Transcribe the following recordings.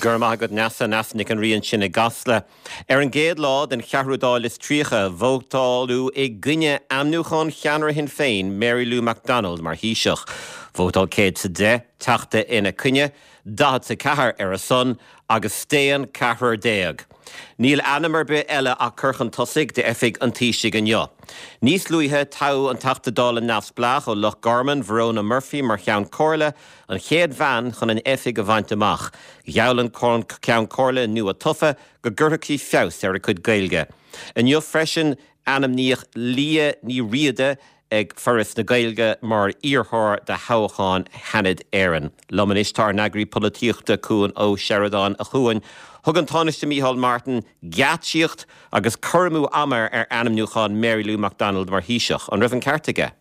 Go raibh maith agat Neasa, Neasa Nic an Rí ansin i gCasla. Ar an gcéad lá den cheathrú Dáil is 30, vótáladh i gcoinne ainmniúchán cheannaire Shinn Féin, Mary Lou McDonald, mar Thaoiseach. Vótáil 110 teachta ina coinne, 44 ar a son agus staon ceathrar déag. Níl ainm ar bith eile á cur chun tosaigh d'oifig an Taoisigh inniu. Níos luaithe, toghadh an Teachta Dála neamhspleách ó Loch Garman, Verona Murphy, mar Cheann Comhairle, an chéad bhean chun an oifig a bhaint amach. Gheall an Ceann Comhairle nua-tofa go gcuirfeadh sí feabhas ar a cuid Gaeilge. Inniu freisin, ainmníodh Liadh Ní Riada ag Foras na Gaeilge mar iarrthóir do thoghchán Sheanad Éireann. Liom anois tá ár n-eagraí polaitíochta, Cuan Ó Seireadáin. A Chuain, thug an Tánaiste Micheál Martin geáitsíocht agus cur amú ama ar ainmniúchán Mary Lou McDonald mar Thaoiseach. An raibh an ceart aige?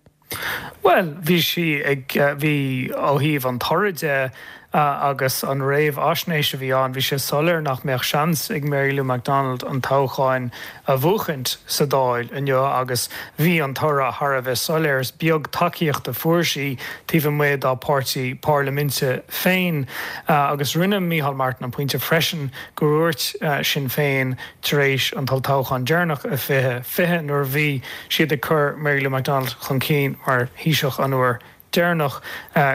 Bhuel, bhí sí ag, bhí, ó thaobh an toraidh de agus an réamhaisnéis a bhí ann, bhí sé soiléir nach mbeadh seans ag Mary Lou McDonald an toghchán a bhuachaint sa Dáil inniu agus bhí an toradh thar a bheith soiléir. Is beag tacaíocht a fuair sí taobh amuigh dá páirtí parlaiminte féin agus rinne Micheál Martin an pointe freisin gur dhúirt Sinn Féin tar éis an t-olltoghchán deireanach i 2020 nuair a bhí siad ag cur Mary Lou McDonald chun cinn mar Thaoiseach an uair deireanach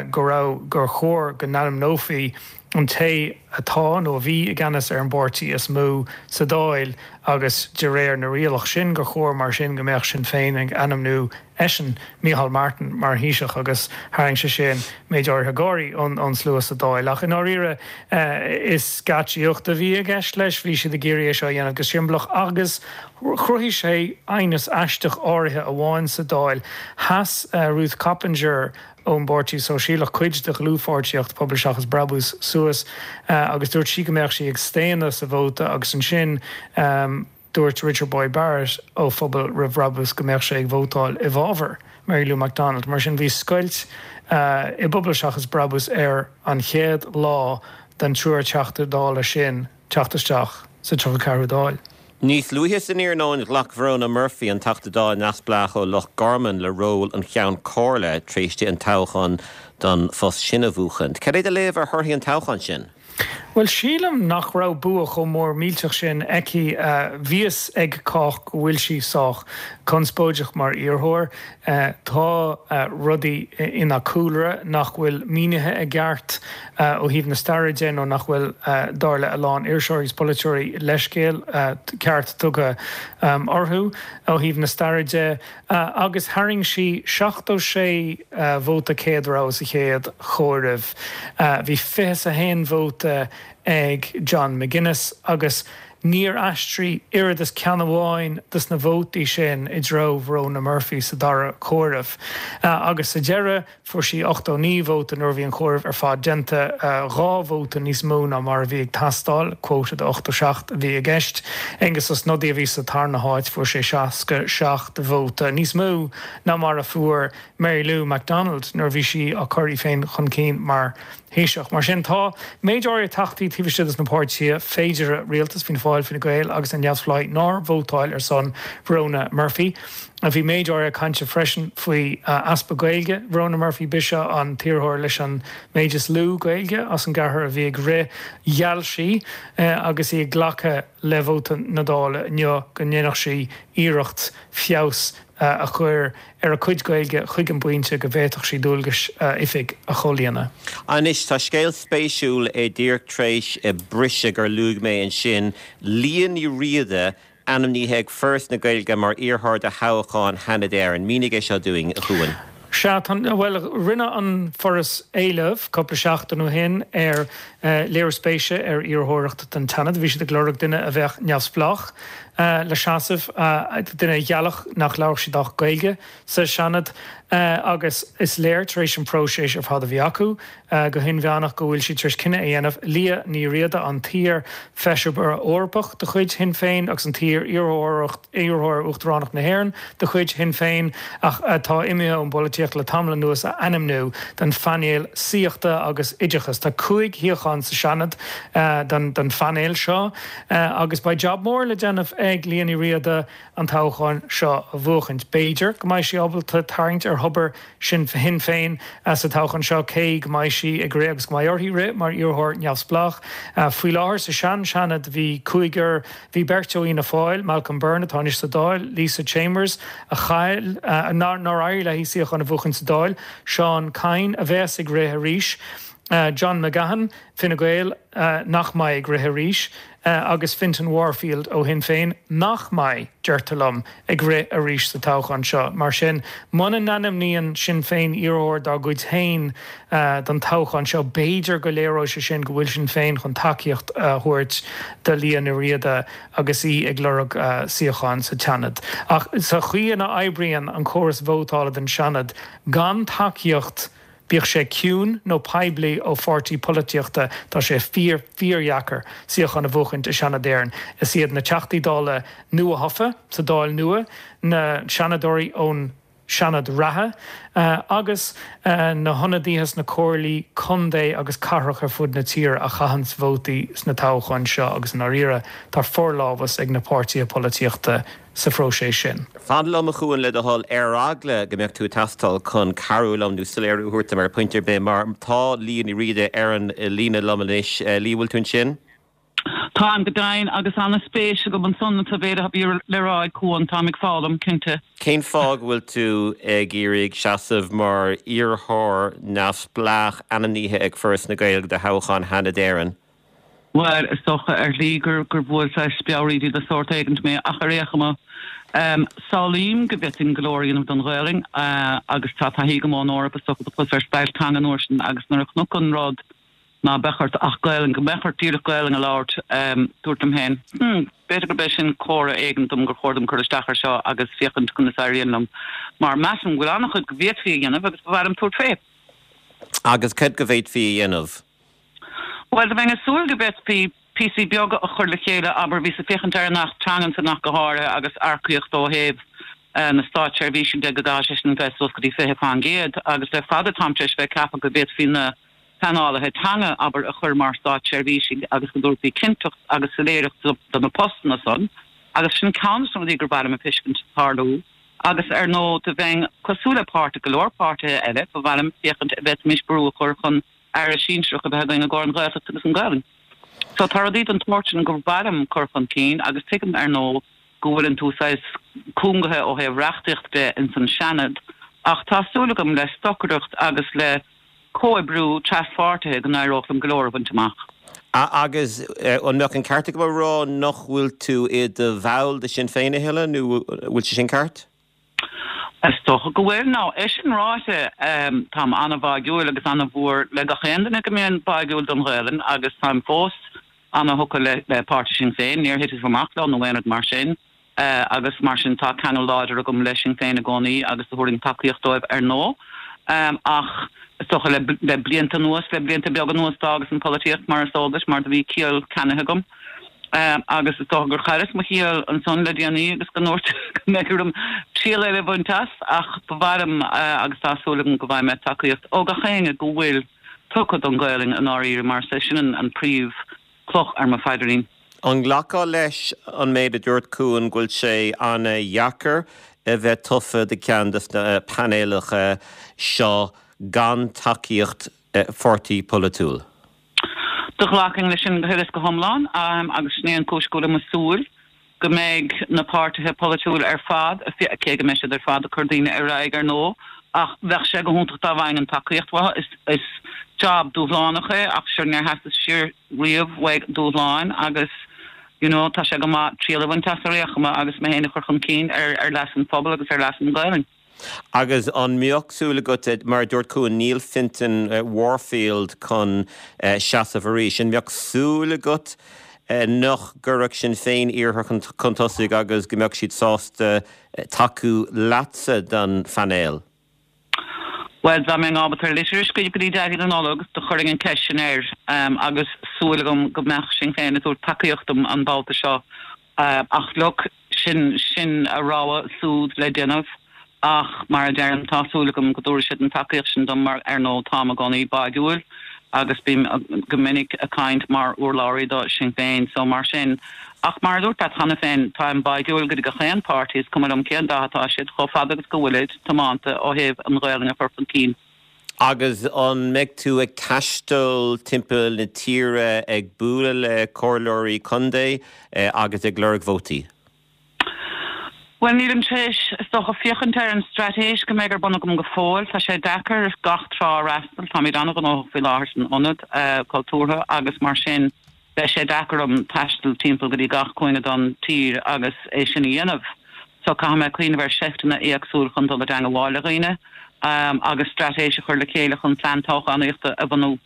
go raibh gur chóir go n-ainmneofaí an té atá nó a bhí i gceannas ar an bpáirtí is mó sa Dáil agus de réir na rialach sin gur chóir mar sin go mbeadh Sinn Féin ag ainmniú eisean, Micheál Martin, mar Thaoiseach agus tharraing sé sin méid áirithe gáirí ón slua sa Dáil. Ach i ndáiríre is geáitsíocht a bhí i gceist leis, bhí siad ag iarraidh é seo a dhéanamh go siombalach agus chruthaigh sé aighneas aisteach áirithe amháin sa Dáil. Sheas Ruth Coppinger ón bPáirtí Sóisialach, cuid de dhlúthpháirtíocht Pobal Seachas Brabús, suas agus dúirt sí go mbeadh sí ag staonadh sa vóta agus ansin, Dúirt Richard Boyd Barrett ó Phobal Roimh Bhrabús go mbeadh sé ag vótáil i bhfabhar Mary Lou McDonald. Mar sin bhí scoilt i bPobal Seachas Brabús ar an chéad lá den triúr Teachta Dála sin teacht isteach sa 34ú Dáil. Níos luaithe san iarnóin ghlac Verona Murphy, an Teachta Dála neamhspleách ó Loch Garman, le ról an Cheann Comhairle tar éis di an toghchán don phost sin a bhuachaint. Cad é do léamh ar thorthaí an toghcháin sin? Bhuel, sílim nach raibh bua chomh mór millteach sin aici. Bhí fhios ag cách go bhfuil sí sách conspóideach mar iarrthóir. Tá rudaí ina cúlra nach bhfuil mínithe i gceart ó thaobh na staire de nó nach bhfuil, dar le a lán iriseoirí is polaiteoirí, leithscéal ceart tugtha orthu ó thaobh na staire de. Agus tharraing sí 76 vóta céad rogha sa chéad chomhaireamh. Bhí 21 vóta ag John McGuinness agus níor aistrigh oiread is ceann amháin dos na vótaí sin i dtreo Verona Murphy sa dara comhaireamh. Agus sa deireadh, Fuair sí 89 vóta nuair a bhí an comhaireamh ar fad déanta, 2 vóta níos mó ná mar a bhí ag teastáil, quota de 87 a bhí i gceist. Aengus Ó Snodaigh a bhí sa tarna háit, fuair sé 67 vóta, níos mó ná mar a fuair Mary Lou McDonald nuair a bhí sí á cur í féin chun cinn mar Thaoiseach. Mar sin, tá méid áirithe teachtaí taobh istigh de na páirtithe féideartha rialtais, Fianna Fáil, Fine Gael agus na Neamhspleáigh, nár vótáil ar son Verona Murphy. Bhí méid áirithe cainte freisin faoi easpa Gaeilge Verona Murphy. B'ise an t-iarrthóir leis an méid is lú Gaeilge as an gceathrar a bhí ag rith. Gheall sí, agus í ag glacadh le vóta na Dála inniu, go ndéanfadh sí iarracht feabhas a chur ar a cuid Gaeilge chuig an bpointe go bhféadfadh sí dualgais a oifig a chomhlíonadh. Anois, tá scéal spéisiúil díreach tar éis briseadh gur luaigh mé ansin, Liadh Ní Riada ainmnithe ag Foras na Gaeilge mar iarrthóir do thoghchán Sheanad Éireann. Mínigh é seo dúinn, a Chuain. Sea, tá, bhuel, rinne an Foras éileamh cúpla seachtain ó shin ar léiriú spéise ar iarrthóireacht don tSeanad. Bhí siad ag lorg duine a bheadh neamhspleách le seasamh, duine a gheallfadh nach labharfadh siad ach Gaeilge sa Seanad agus is léir tar éis an próiseas ar fad a bhí acu, go hinmheánach go bhfuil siad tar éis cinneadh a dhéanamh Liadh Ní Riada, an t-iar-Fheisire Eorpach de chuid Shinn Féin agus an t-iar-iarrthóir Uachtaránacht na hÉireann de chuid Shinn Féin ach atá imithe ón bpolaitíocht le tamall anuas, a ainmniú don phainéal saíochta agus oideachais. Tá 5 shuíochán sa Seanad don phainéal seo agus beidh jab mór le déanamh ag Liadh Ní Riada an toghchán seo a bhuachaint. B'fhéidir go mbeidh sí ábalta tarraingt ar. thobar Shinn Féin sa toghchán seo, cé go mbeidh sí ag rith agus go mbeidh uirthi rith mar iarrthóir neamhspleách. Faoi láthair sa sean-Seanad bhí cúigear, bhí beirt ó Fhianna Fáil, Malcolm Byrne atá anois sa Dáil, Lisa Chambers a chaill, nár éirigh léi suíochán a bhuachan sa Dáil, Seán Kyne a bheas ag rith arís, John McGahon, Fine Gael, nach mbeidh ag rith arís, agus Fintan Warfield ó Shinn Féin, nach mbeidh, deirtear liom, ag rith arís sa toghchán seo. Mar sin, muna n-ainmníonn Sinn Féin iarrthóir dá gcuid féin don toghchán seo, b'fhéidir go léireoidh sé sin go bhfuil Sinn Féin chun tacaíocht a thabhairt do Liadh Ní Riada agus í ag lorg suíocháin sa tSeanad. Ach sa chaoi ina oibríonn an córas vótála don Seanad, gan tacaíocht, Bíodh sé ciúin nó poiblí ó pháirtí polaitíochta, tá sé fíor, fíordheacair suíochán a bhuachaint i Seanad Éireann. Is iad na Teachtaí Dála nuathofa sa Dáil nua, na Seanadóirí ón Seanad reatha agus na hionadaithe sna comhairlí contae agus cathrach ar fud na tíre a chaitheanns vótaí sna toghcháin seo agus i ndáiríre tá forlámhas ag na páirtithe polaitíochta sa phróiseas sin. Fan liom, a Chuain, le do thoil, ar eagla go mbeadh tú ag teastáil chun cabhrú liom nó soiléiriú a thabhairt dom ar phointe ar bith, mar tá Liadh Ní Riada ar an líne liom anois. Liadh, bhfuil tú ansin? Táim go deimhin, agus an-spéis agam ansan sa mhéid a bhí le rá ag Cuan. Táim ag foghlaim, cinnte. Cén fáth go bhfuil tú ag iarraidh seasamh mar iarrthóir neamhspleách ainmnithe ag Foras na Gaeilge do thoghchán Sheanad Éireann? Bhuel, is dócha ar shlí gur bhuail saghas speabhraídí de shórt éigint mé, ach ar aon chuma, samhlaím go bhféadfainn go leor a dhéanamh don Ghaelainn, agus tá taithí agam ón Eoraip, is dócha, do chuas ar stailc teanga an uair sin, agus nuair a chonac an rud ná beadh ort ach Gaelainn, go mbeadh ort díreach Gaelainn a labhairt, dúirt liom féin, hmm, b'fhéidir gurb é sin comhartha éigin dom gur chóir dom cur isteach air seo agus féachaint conas a éiríonn liom, mar measaim go bhfuil an-chuid go bhféadfaí a dhéanamh agus ba mhaith liom tabhairt fé. Agus céard go bhféadfaí a dhéanamh? Bhuel, do bheinn ag súil go bhféadfaí píosaí beaga a chur le chéile, abair, bhíos ag féachaint ar an Acht Teangan san ach go háirithe agus earcaíocht ó thaobh na státseirbhíse de go gcaithfidh sé sin bheith suas go dtí 20% agus le fada táim tar éis bheith ag ceapadh go bhféadfaí na pleanálaithe teanga, abair, a chur mar státseirbhísigh agus go dtabharfaí cinnteacht agus soiléireacht do na postanna san agus sin ceann de na rudaí gur mhaith liom a feiscint tarlú. Agus ar ndóigh do bheinn cosúil le páirtithe, go leor páirtithe eile, ba mhaith liom féachaint an bhféadfaimis brú a chur chun Aire sinsearach a bheith againn i gcomhair an Ghaeltacht agus an Ghaelainn. So tá rudaí den tsórt sin gur mhaith liom cur chun cinn agus tuigim ar ndóigh go bhfuileann tú saghas cúngaithe ó thaobh reachtaíocht de ins an Seanad ach tá súil agam le stocaireacht agus le comhoibriú traspháirtithe go n-éireodh liom go leor a bhaint amach. Agus an mbeadh an ceart agam a rá nach bhfuil tú i do bhall de Sinn Féin a thuilleadh nó bhfuil sé sin ceart? Is dócha go bhfuil. Now, é sin ráite, táim an-bháúil agus an-mhór le gach aon duine go mbíonn báúil don Ghaelainn agus táim fós an-thugtha le páirtí Sinn Féin. Níor thiteas amach leo nó aon rud mar sin agus mar sin tá ceangal láidir agam le Sinn Féin i gcónaí agus do thabharfainn tacaíocht dóibh ar ndóigh. Ach is dócha le blianta anuas, le blianta beaga anuas d'fhágas an pholaitíocht mar is eol duit mar do bhí ciall ceannaithe agam. Agus is dócha gur chailleas mo chiall ansan le déanaí agus go ndúirt go mbeidh orm triail eile a bhaint as ach ba mhaith liom agus tá súil agam go bhfaighidh mé tacaíocht ó gach éinne go bhfuil tugtha don Ghaelainn i ndáiríre mar is é sin an príomh chloch ar mo phaidrín. An nglacfá leis an méid a dúirt Cuan go bhfuil sé an-dheacair a bheith tofa do cheann de na painéalacha seo gan tacaíocht pháirtí polaitiúil? Do ghlacfainn leis sin go huile is go hiomlán agus sin é an chúis go bhfuilim ag súil go mbeidh na páirtithe polaitiúil ar fad, cé go mbeidh siad ar fad ag cur daoine ar aghaidh ar ndóigh, ach bheadh sé go hiontach dá bhfaighinn an tacaíocht uathu. Is job dúshlánach é ach sure níor theastaigh siar riamh uaidh dúshláin agus you know tá sé go maith triail a bhaint as ar aon chuma agus mé féin a chur chun cinn ar leas an phobail agus ar leas an Ghaelainn. Agus an mbeadh súil agat, mar a dúirt Cuan, níl Fintan Warfield chun seasamh arís, an mbeadh súil agat nach gcuirfeadh Sinn Féin iarrthóir chun tosaigh agus go mbeadh siad sásta tacú leatsa don phainéal? Bhuel, dá mbeinn ábalta ar litir a scríobh go dtí Daidí na Nollag, do chuirfinn an ceist sin air agus súil agam go mbeadh Sinn Féin ag tabhairt tacaíocht dom an babhta seo. Ach look, sin, sin a rogha súd le déanamh ach mar a deirim, tá súil agam go dtabharfaidh siad an tacaíocht sin dom mar, ar ndóigh, táim i gcónaí báúil. Agus bím go minic ag caint mar urlabhraí do Sinn Féin so mar sin. Ach mar a dúirt leat cheana féin, táim báigiúil go dtí gach aon páirtí, is cuma liom cén dath atá siad, chomh fada agus go bhfuilid tiomanta ó thaobh an Ghaelainn a chur chun cinn. Agus an mbeidh tú ag taisteal timpeall na tíre ag bualadh le comhairleoirí contae agus ag lorg vótaí? Bhuel, nílim tar éis, is dócha, féachaint ar an straitéis go mbeidh ar bun agam go fóill. Tá sé deacair gach trá a fhreastal. Táimid an-ghnóthach faoi láthair san Ionad Cultúrtha agus mar sin beidh sé deacair orm taisteal timpeall go dtí gach cúinne den tír agus é sin a dhéanamh. So caithfidh mé cuimhneamh ar seifteanna éagsúil chun dul i dteangmháil le dhaoine agus straitéis a chur le chéile chun plean toghchánaíochta a bhunú.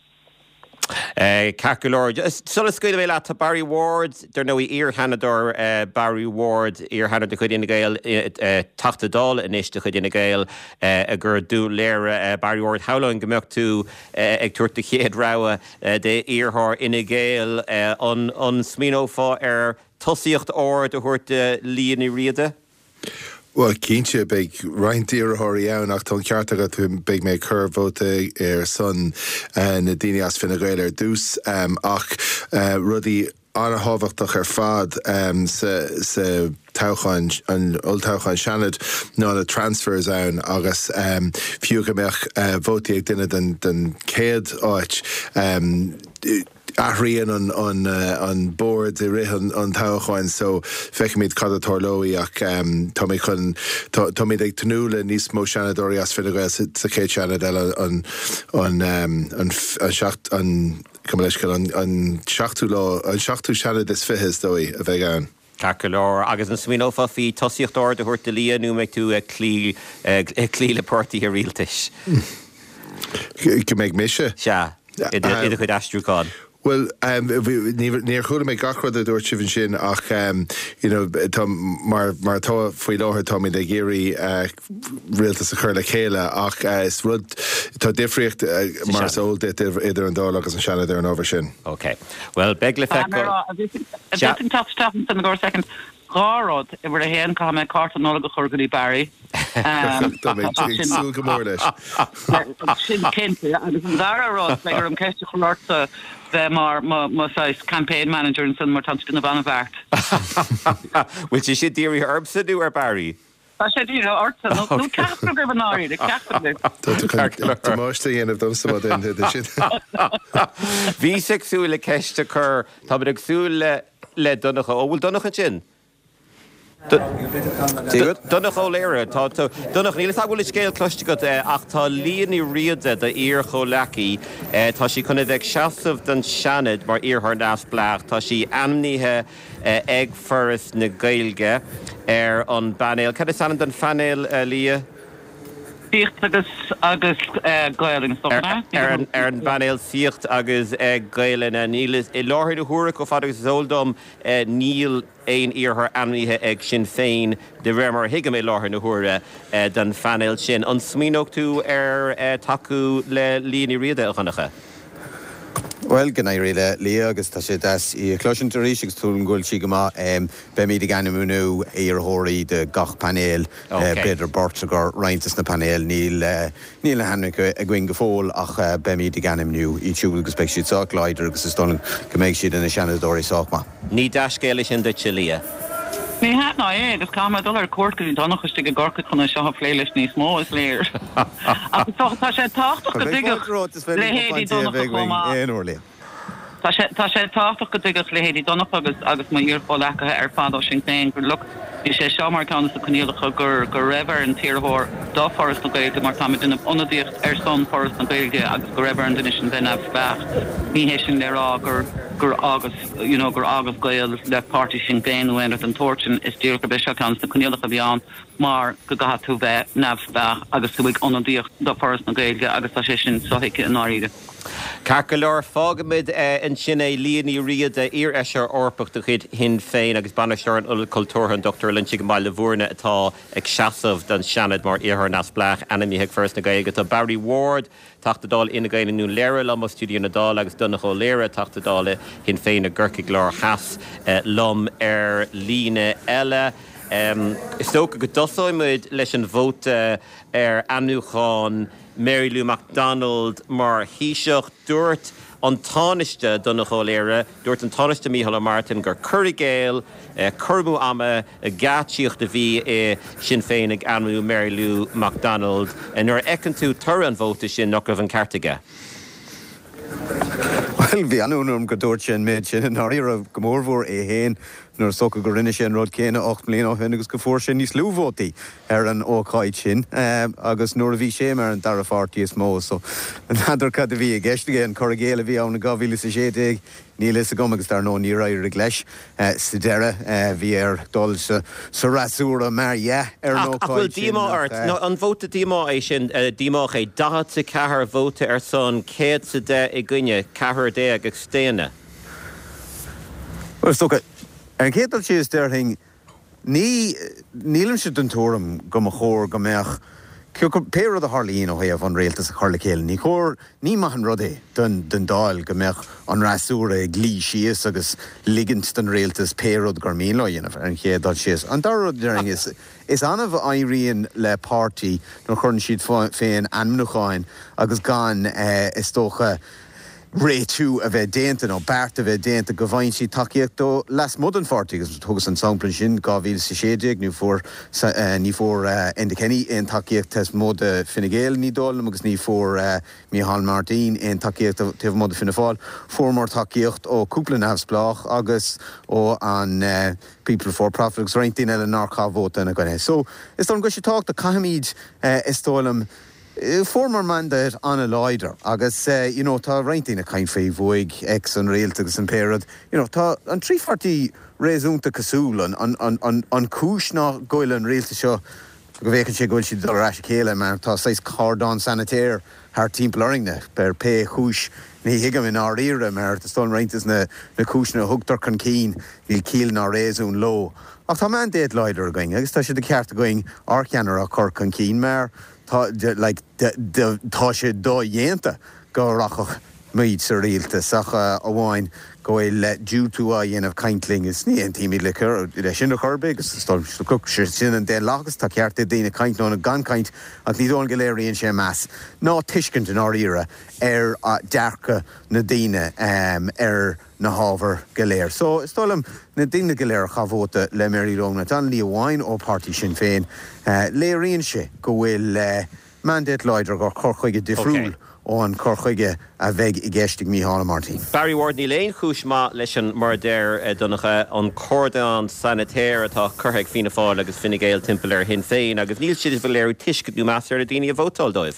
Ceart go leor. Sula scaoilfidh mé leat, tá Barry Ward, dar ndóigh, iar-Sheanadóir Barry Ward, iar-Sheanadóir de chuid Fhine Gael, Teachta Dála anois de chuid Fhine Gael i gCo Dún Laoghaire. Barry Ward, shamhlóinn go mbeadh tú ag tabhairt do chéad rogha d'iarrthóir Fhine Gael. An smaoineofá ar tosaíocht ard a thabhairt do Liadh Ní Riada? Bhuel, cinnte, beidh roinnt iarrthóirí ann ach tá an ceart agat, beidh mé ag cur vóta ar son na daoine as Fine Gael ar dtús. Ach rudaí an-thábhachtach ar fad sa toghchán, an olltoghchán Seanad, ná na transfers ann agus fiú go mbeadh vótaí ag duine den chéad áit, Athraíonn an bord i rith an toghcháin so feicfimid cad a tarlóidh ach tá mé chun, táimid ag tnúth le níos mó Seanadóirí as Fine Gael sa chéad Seanad eile an an seacht, an, gabh mo leithscéal, an seachtú lá, an seachtú Seanad is 20 is dóigh a bheidh ann. Ceart go leor. Agus an smaoineofá faoi tosaíocht ard a thabhairt do Liadh nó an mbeidh tú ag cloí ag cloí le páirtithe rialtais? Go mbeidh mise? Sea, i do chuid aistriúchán. Bhuel, níor chuala mé gach rud a dúirt sibh ansin ach you know tá mar mar atá faoi láthair táimid ag iarraidh rialtas a chur le chéile ach is rud, tá difríocht mar is eol duit idir an Dáil agus an Seanad ar an ábhar sin. Ok. Bhuel, beidh le feiceáil. An bhféadfainn teacht isteach ansin i gcomhair soicind? Dhá rud. Uimhir a haon, caithfidh mé cárta Nollag a chur go dtí Barry. Tá mé ag súil go mór leis. Sin cinnte. Agus an dara rud, beidh orm ceist a chur ortsa bheith mar mo saghas campaign manager ansin mar tá tú ag déanamh an-bheart. Bhfuil sé sin dírithe ormsa nó ar Barry? Tá sé dírithe ortsa, nó ceachtar agaibh i ndáiríre, ceachtar agaibh. Tá tú chun damáiste a dhéanamh domsa má dhéanann tú sin. Bhíos ag súil le ceist a chur, táimid ag súil le le Donncha, ó bhfuil Donncha ansin? Donncha Ó Laoghaire, tá tú, Donncha, níl a fhios agam an bhfuil an scéal cloiste agat ach tá Liadh Ní Riada, d'iar-chomhleacaí, tá sí chun a bheith ag seasamh don Seanad mar iarrthóir neamhspleách, tá sí ainmnithe ag Foras na Gaeilge ar an bpainéal. Cad is ainm don phainéal, a Liadh? Saíocht agus agus Gaelainn, is dócha, ná? Ar an bpainéal Saíocht agus Gaelainn. Níl, i láthair na huaire, chomh fada agus is eol dom, níl aon iarrthóir ainmnithe ag Sinn Féin, de réir mar a thuigim, i láthair na huaire, don phainéal sin. An smaoineodh tú ar tacú le Liadh Ní Riada, a Dhonncha? Bhuel, go n-éirí le Liadh agus tá sé deas í a chloisint arís agus súil agam go bhfuil sí go maith. Beimid ag ainmniú iarrthóirí do gach painéal, b'fhéidir beirt i gcomhair roinnt de na painéil. Níl níl na hainmneacha againn go fóill ach beimid ag ainmniú iad siúd agus beidh siad sách láidir agus is dóigh liom go mbeidh siad ina Seanadóirí sách maith. Ní dea-scéal é sin duitse, Liadh. Ní hea ná é, agus caithfidh mé dul ar cuairt go dtí Donncha istigh i gCorcaigh chun é seo a phlé leis níos mó, is léir. Ach is dócha, tá sé tábhachtach go dtuigfeadh leithéidí Donncha chomh maith. Tá sé, tá sé tábhachtach go dtuigfeadh leithéidí Donncha agus, agus mo iar-chomhleacaithe ar fad ó Sinn Féin gur, look, bhí sé seo mar cheann de na coinníollacha gur, go raibh ar an t-iarrthóir do Foras na Gaeilge mar táim ag déanamh ionadaíocht ar son Foras na Gaeilge agus go raibh ar an duine sin bheith neamhspleách. Ní hé sin le rá gur, gur fhágas. you know gur fhágas gaol le páirtí Sinn Féin nó aon rud den tsórt sin, is díreach gurb é seo ceann de na coinníollacha a bhí ann mar go gcaithfidh tú bheith neamhspleách agus tú ag ionadaíocht do Foras na Gaeilge agus tá sé sin sothuigthe i ndáiríre. Ceart go leor, fágfaimid ansin é. Liadh Ní Riada, iar-fheisire Eorpach de chuid Shinn Féin agus Bainisteoir an Ionaid Chultúrtha, an Dr Loinsigh i mBaile Bhúirne atá ag seasamh don Seanad mar iarrthóir neamhspleách ainmnithe ag Foras na Gaeilge. Tá Barry Ward, Teachta Dála Fhine Gael i nDún Laoghaire liom ó stiúideo na Dála agus Donncha Ó Laoghaire, Teachta Dála Shinn Féin i gCorcaigh Láir Theas liom ar líne eile. Is dócha go dtosóidh muid leis an vóta ar ainmniúchán. Mary Lou McDonald mar Thaoiseach. Dúirt an Tánaiste Donnchadh Ó Laoghaire, dúirt an Tánaiste Micheál Ó Martin gur cur i gcéill, cur amú ama, geáitsíocht a bhí i Sinn Féin ag ainmniú Mary Lou McDonald. Nuair a fheiceann tú toradh an vóta sin, nach raibh an ceart aige? Bhuel, bhí an-ionadh orm go dúirt sé an méid sin i ndáiríre, go mórmhór é féin, nuair is dócha go rinne sé an rud céanna 8 mbliana ó shin agus go fuair sé níos lú vótaí ar an ócáid sin agus nuair a bhí sé mar an dara pháirtí is mó. So, n'fheadar cad a bhí i gceist aige, an cur i gcéill a bhí ann in 2016? Níl a fhios agam agus dar ndóigh níor éirigh leis sa deireadh. Bhí air dul sa fhreasúra mar dhea ar an ócáid sin. Ach bhfuil díomá ort? Nó an vóta díomá é sin, díomách é? 44 vóta ar son, 110 i gcoinne, ceathrar déag ag staonadh. Bhuel, is dócha, ar an chéad dul síos, déarfainn, Ní, nílimse den tuairim go mba chóir go mbeadh, pé rud a tharlaíonn ó thaobh an rialtas a chur le chéile, ní chóir, ní maith an rud é don, don Dáil go mbeadh an fhreasúra ag luí síos agus ligint don rialtas pé rud gur mian leo a dhéanamh, ar an chéad dul síos. An dara rud a déarfainn is, is annamh a éiríonn le páirtí nuair a chuireann siad féin ainmniúcháin agus gan, is dócha, réitiú a bheith déanta nó beart a bheith déanta go bhfaigheann siad tacaíocht ó lasmuigh den pháirtí agus thugas an sampla ansin 2016 ní fuair ní fuair Enda Kenny aon tacaíocht taobh amuigh de Fine Gael ní dóigh liom agus ní fuair Micheál Martin aon tacaíocht taobh amuigh de Fianna Fáil. Fuaireamar tacaíocht ó cúpla neamhspleách agus ó an People Before Profit agus roinnt daoine eile nár chaith vóta ina gcoinne. So is dóigh liom go bhfuil sé tábhachtach caithfimid is dóigh liom Fuaireamar mandate an-láidir agus you know tá roinnt daoine ag caint faoi bhuaigh X an rialtas agus an pé rud, you know tá an trí pháirtí réasúnta cosúil. An, an, an, an chúis ná go bhfuil an rialtas seo, go bhféachann sé go bhfuil siad ag dul ar ais a chéile mar tá saghas cordon sanitaire thart timpeall orainne ar pé chúis ní thuigim i ndáiríre mar is dóigh liom roinnt de na, na cúiseanna a thugtar chun cinn níl ciall ná réasún leo. Ach tá mandate láidir againn agus tá sé de cheart againn ár cheannaire a chur chun cinn mar Tá, like, tá sé dodhéanta go rachadh muid sa rialtas ach amháin go bhfuil diúltú á dhéanamh caint linn is ní aontaímid le le sin ar chor ar bith agus is dóigh sin an daonlathas, tá ceart ag daoine caint nó gan caint ach ní dóigh liom go léiríonn sé meas ná tuiscint i ndáiríre ar dearcadh na daoine ar na hábhair go léir. So, is dóigh liom, na daoine go léir a chaith vóta le Mary Lou McDonald, ní amháin ó páirtí Sinn Féin, léiríonn sé go bhfuil mandate láidir gur cur chuige difriúil ó an cur chuige a bheidh i gceist ag Micheál Ó Máirtín. Barry Ward, Níl aon chúis maith leis an, mar a deir Donncha, an cordon sanitaire atá curtha ag Fianna Fáil agus Fine Gael timpeall ar Shinn Féin agus níl siad ag léiriú tuiscint nó meas ar na daoine a vótáil dóibh.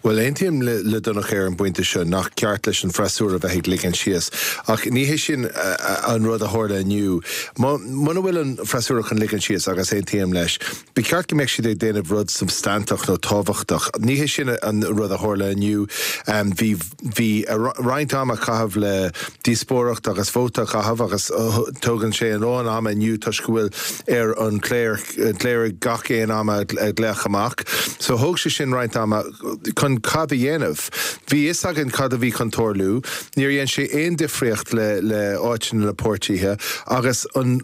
Bhuel, aontaím le Donncha ar an bpointe seo nach ceart leis an bhfreasúra bheith ag ligean síos. Ach ní hé sin an rud a tharla inniu. Muna bhfuil an freasúra chun ligean síos, agus aontaím leis, ba cheart go mbeadh siad ag déanamh rud substainteach nó tábhachtach. Ní hé sin an rud a tharla inniu. Bhí bhí roinnt ama a chaitheamh le díospóireacht agus vóta a chaitheamh agus tógann sé a lán ama inniu toisc go bhfuil ar an chléireach gach aon am a ghlaoch amach. So thóg sé sin roinnt ama chun cad a dhéanamh? Bhí fhios againn cad a bhí chun tarlú. Níor dhein sé aon difríocht le le áiteanna na páirtithe agus an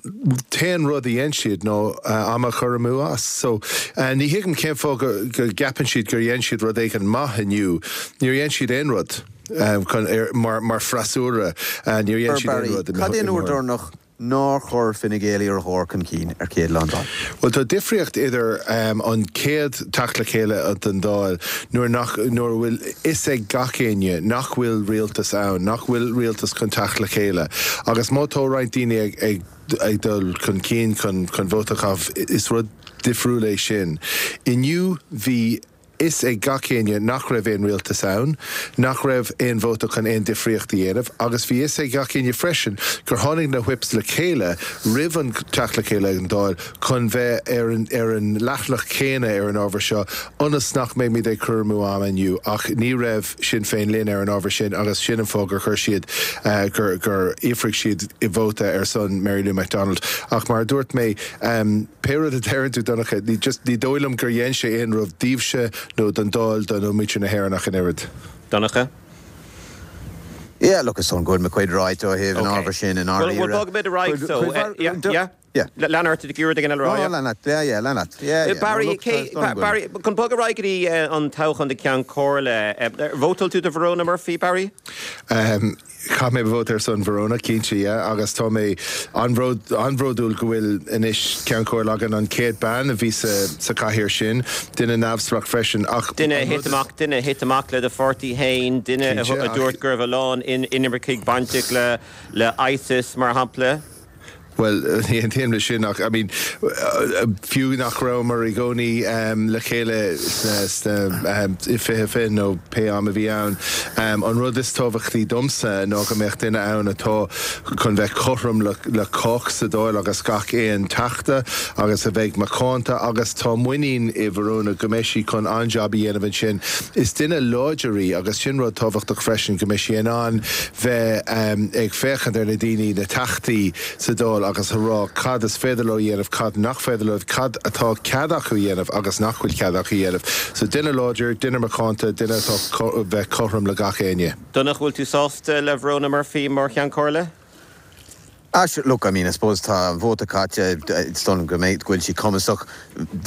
t-aon rud a dhein siad ná am a chur amú as. So ní thuigim cén fáth go go gceapann siad gur dhein siad rud éigin maith inniu. Níor dhein siad aon rud chun mar mar freasúra. Níor dhein siad aon rud. Cad é an uair deireanach nár chuir Fine Gael iarrthóir chun cinn ar chéad lá an Dáil? Bhuel, tá difríocht idir an chéad teacht le chéile den Dáil nuair nach, nuair a bhfuil fhios ag gach éinne nach bhfuil rialtas ann, nach bhfuil rialtas chun teacht le chéile agus má tá roinnt daoine ag, ag, ag dul chun cinn chun, chun vóta a chaitheamh, is rud difriúil é sin. Inniu bhí. fhios ag gach éinne nach raibh aon rialtas ann, nach raibh aon vóta chun aon difríocht a dhéanamh agus bhí fhios ag gach éinne freisin gur tháinig na Whips le chéile roimh an teacht le chéile ag an Dáil chun bheith ar an ar an leathanach céanna ar an ábhar seo ionas nach mbeimid ag cur amú ama inniu ach ní raibh Sinn Féin linn ar an ábhar sin agus sin an fáth gur chuir siad gur gur fhiafraigh siad vóta ar son Mary Lou McDonald ach mar a dúirt mé Pé rud a deireann tú, Donncha, ní just, ní dóigh liom gur dhein sé aon rud daoibhse nó don Dáil do nó muintir na hÉireann ach an oiread. Donncha? Yeah, look, is dóigh go bhfuil mo chuid ráite ó thaobh an ábhair sin i ndáiríre. Bhuel, bogfaimid ar aghaidh so. Yeah, yeah. Yeah. Lean ort, ag iarraidh ag an LRI, yeah? No, lean leat, yeah, yeah, lean leat. Yeah, yeah. Barry, no, cé, Barry, chun bogadh ar aghaidh go dtí an toghchán do Cheann Comhairle, ar vótáil tú do Verona Murphy, Barry? Um, chaith mé vóta ar son Verona, cinnte, yeah, agus tá mé an-bhródúil go bhfuil anois Ceann Comhairle againn, an chéad bean a bhí sa, sa chathaoir sin, duine neamhspleách freisin, ach Duine a thit amach, duine a thit amach le do pháirtí féin, duine a dúirt go raibh a lán inimircigh bainteach le, le ISIS, mar shampla. Bhuel, ní aontaím leis sin ach, I mean, fiú nach rabhamar i gcónaí le chéile sna, i 2020 nó pé am a bhí ann, an rud is tábhachtaí domsa ná go mbeadh duine ann atá chun bheith cothrom le cách sa Dáil agus gach aon Teachta agus a bheidh macánta agus tá muinín i Verona go mbeidh sí chun an-jab a dhéanamh ansin. Is duine láidir í agus sin rud tábhachtach freisin, go mbeidh sí in ann bheith ag féachaint ar na daoine, na Teachtaí sa Dáil agus a rá cad is féidir leo a dhéanamh, cad nach féidir leo, cad atá cead acu a dhéanamh agus nach bhfuil cead acu a dhéanamh. So duine láidir, duine macánta, duine atá bheith cothrom le gach éinne. Donncha, bhfuil tú sásta le Verona Murphy mar Cheann Comhairle? Ah sure, look, I mean, I suppose tá an vóta caite, is dóigh liom go mbeidh, go bhfuil sí cumasach.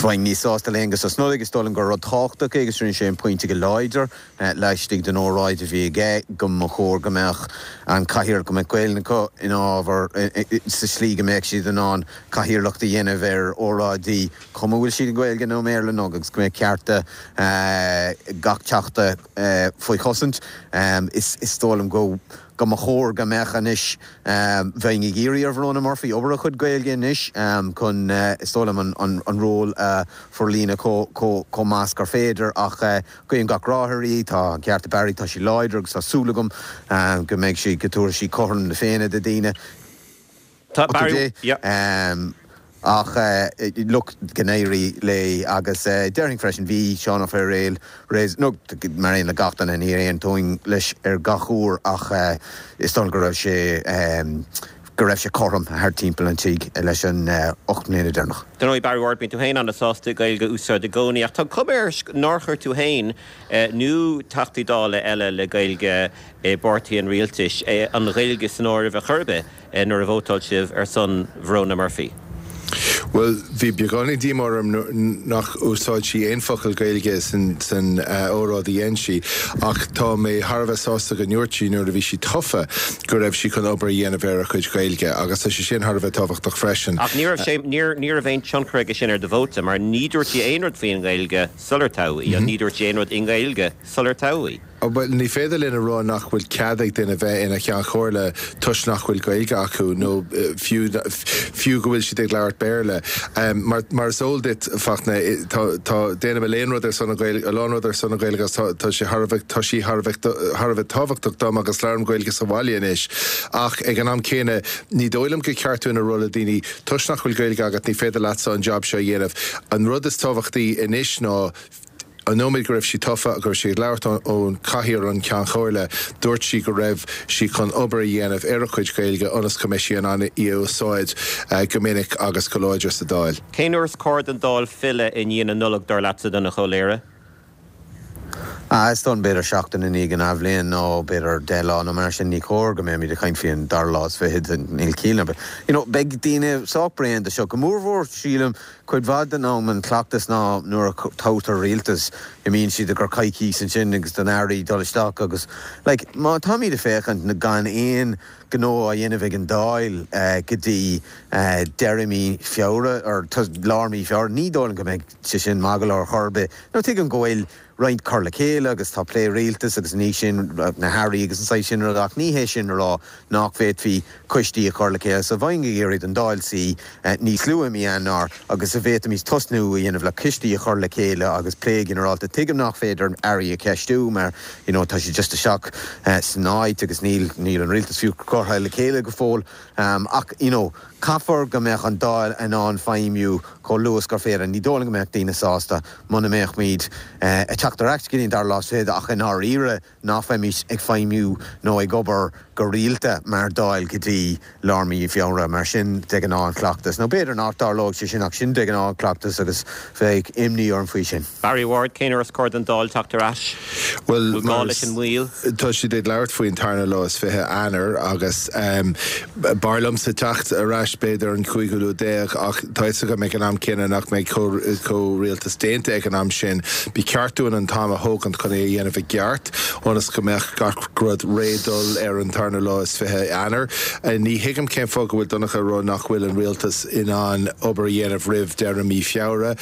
Bheinn níos sásta le hAengus Ó Snodaigh, is dóigh liom gur rud tábhachtach é agus rinne sé an pointe go láidir laistigh den óráid a bhí aige go mba chóir go mbeadh an cathaoir, go mbeadh Gaelainn acu ina ábhar sa slí go mbeadh siad in ann cathaoirleacht a dhéanamh ar óráidí, cuma bhfuil siad i nGaeilge nó i mBéarla nó agus go mbeadh cearta gach teachta faoi chosaint. Is dóigh liom go. go mba chóir go mbeadh anois. Bheinn ag iarraidh ar Verona Murphy obair ar a cuid Gaeilge anois chun, is dóigh liom, an ról a forlíonadh chomh maith is gur féidir ach guím gach rath uirthi. Tá an ceart ag Barry, tá sí láidir agus tá súil agam go mbeidh sí, go dtabharfaidh sí cothrom na Féinne do daoine. Tá Barry, yeah. Ach look, go n-éirí léi agus déarfainn freisin, bhí Seán Ó Fearghail, nó mar aon le gach duine, ní aontóinn leis ar gach uair ach is dóigh liom go raibh sé, go raibh sé cothrom thart timpeall an tigh leis an 8 mbliana deireanach. Dar ndóigh, Barry Ward, bíonn tú féin an-sásta Gaeilge a úsáid i gcónaí ach tá cuma air nár chuir tú féin nó Teachtaí Dála eile le Gaeilge i bpáirtí an rialtais an Ghaeilge san áireamh ar chor ar bith. nuair a vótáil sibh ar son Verona Murphy? Bhuel, bhí beagáinín díomá orm nach úsáid sí aon focal Gaeilge san óráid a dhein sí, ach tá mé thar a bheith sásta go ndúirt sí nuair a bhí sí tofa go raibh sí chun obair a dhéanamh ar a cuid Gaeilge, agus tá sé sin thar a bheith tábhachtach freisin. Ach ní raibh sé, ní raibh aon tionchar aige sin ar do vóta, mar ní dúirt sí aon rud faoin nGaeilge sular toghadh í, ní dúirt sí aon rud i nGaeilge sular toghadh í. Bhuel, ní féidir linn a rá nach bhfuil cead ag duine bheith ina Cheann Comhairle toisc nach bhfuil Gaeilge acu nó fiú fiú go bhfuil siad ag labhairt Béarla. Mar mar is eol duit, Fachtna, tá tá déanaim a lán rud ar son na Gaeilge, a lán rud ar son na Gaeilge agus tá tá sé thar a bheith tá sí thar a bheith thar a bheith tábhachtach dom agus labhraím Gaeilge sa bhaile anois. Ach ag an am céanna, ní dóigh liom gur ceart dúinn a rá le daoine toisc nach bhfuil Gaeilge agat ní féidir leatsa an jab seo a dhéanamh. An rud is tábhachtaí anois ná An nóiméad go raibh sí tofa, go raibh sí ag labhairt ón chathaoir an Cheann Chomhairle, dúirt sí go raibh sí chun obair a dhéanamh ar a cuid Gaeilge ionas go mbeidh sí in ann í a úsáid go minic agus go láidir sa Dáil. Cén uair is cóir don Dáil filleadh i ndiaidh na Nollag, dar leatsa, Donncha Ó Laoghaire? Ah, is dóigh liom b'fhéidir seachtain i ndiaidh an athbhliain nó b'fhéidir 10 lá nó mar sin. Ní cóir go mbeimid ag caint faoi an dara lá is fichead, níl ciall ar bith. You know, beidh daoine sách bréan de seo, go mórmhór sílim Cuid mhaith den am an cleachtas ná nuair a toghtar rialtas imíonn siad i gcomhair coicís ansin agus don airí dul isteach agus like má táimid ag féachaint gan aon gnó á dhéanamh ag an Dáil go dtí deireadh mí Feabhra or lár mí Feabhra ní dóigh liom go mbeidh sé sin maith go leor chor ar bith. Now tuigim go bhfuil roinnt cur le chéile agus tá plé rialtais agus ní sin na hairí agus an saghas sin rud ach ní hé sin a rá nach bhféadfaí coistí a chur le chéile. So bheinn ag iarraidh don Dáil suí níos luaithe i mí Eanáir agus a bhféadfaimis tosnú a dhéanamh le coistí a chur le chéile agus plé ginearálta. Tuigim nach féidir airí a cheistiú mar you know tá siad just isteach san áit agus níl níl an rialtas fiú curtha le chéile go fóill ach you know Caithfear go mbeadh an Dáil in ann feidhmiú chomh luath is gur féidir. Ní dóigh liom go mbeadh daoine sásta muna mbeadh muid ag teacht ar ais go dtí an dara lá is fichead ach i ndáiríre nach mbeimís ag feidhmiú nó ag obair go rialta mar Dáil go dtí lár mí Feabhra. Mar sin de ghnáth an cleachtas. Nó b'fhéidir nach dtarlóidh sé sin ach sin de ghnáth. gnáthchleachtas agus bheadh imní orm faoi sin. Barry Ward, Cén uair is cóir don Dáil teacht ar ais? Bhuel, Bhfuil gá leis an moill? Tá siad ag labhairt faoin tarna lá is 20 Eanáir agus b'fhearr liomsa teacht ar ais b'fhéidir an cúigiú lá déag ach tá fhios agam ag an am céanna nach mbeidh comhrialtas déanta ag an am sin. Ba cheart dúinn an t-am a thógaint chun é a dhéanamh i gceart ionas go mbeadh gach rud réidh dul ar an tarna lá is 20 Eanáir. Ní thuigim cén fáth go bhfuil Donncha ag rá nach bhfuil an rialtas in ann obair a dhéanamh roimh deireadh mí Feabhra.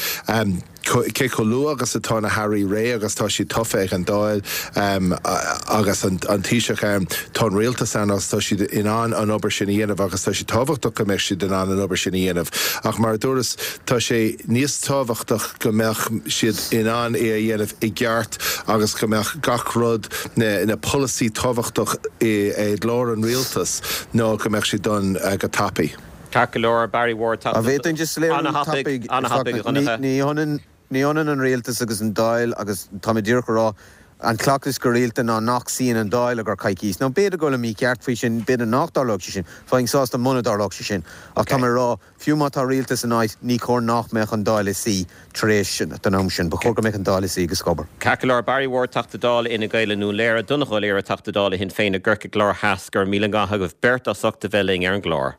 Cé chomh luath agus atá na hairí réidh agus tá siad tofa ag an Dáil agus an Taoiseach ann, tá an rialtas ann agus tá siad in ann an obair sin a dhéanamh agus tá sé tábhachtach go mbeadh siad in ann an obair sin a dhéanamh. Ach mar a dúras, tá sé níos tábhachtach go mbeadh siad in ann é a dhéanamh i gceart agus go mbeadh gach rud, na polasaí tábhachtach i gclár an rialtais ná go mbeadh siad done go tapaidh. Ceart go leor, Barry Ward, An bhféadfainn just léiriú an-thapaidh, an-thapaidh, a Dhonncha. Ní hionann, ní hionann an rialtas agus an Dáil agus tá mé díreach a rá, an cleachtas go rialta ná nach suíonn an Dáil i gcomhair coicís. Now b'fhéidir go bhfuilim mícheart faoi sin, b'fhéidir nach dtarlódh sé sin, bheinn sásta muna dtarlódh sé sin. Ach tá mé a rá, fiú má tá rialtas in áit, ní chóir nach mbeadh an Dáil ag suí tar éis don am sin. Ba chóir go mbeadh an Dáil ag suí agus ag obair. Ceart go leor, Barry Ward, Teachta Dála Fhine Gael i nDún Laoghaire, Donncha Ó Laoghaire, Teachta Dála Shinn Féin i gCorcaigh Láir Theas, go raibh míle maith agaibh beirt as ucht a bheith linn ar an gclár.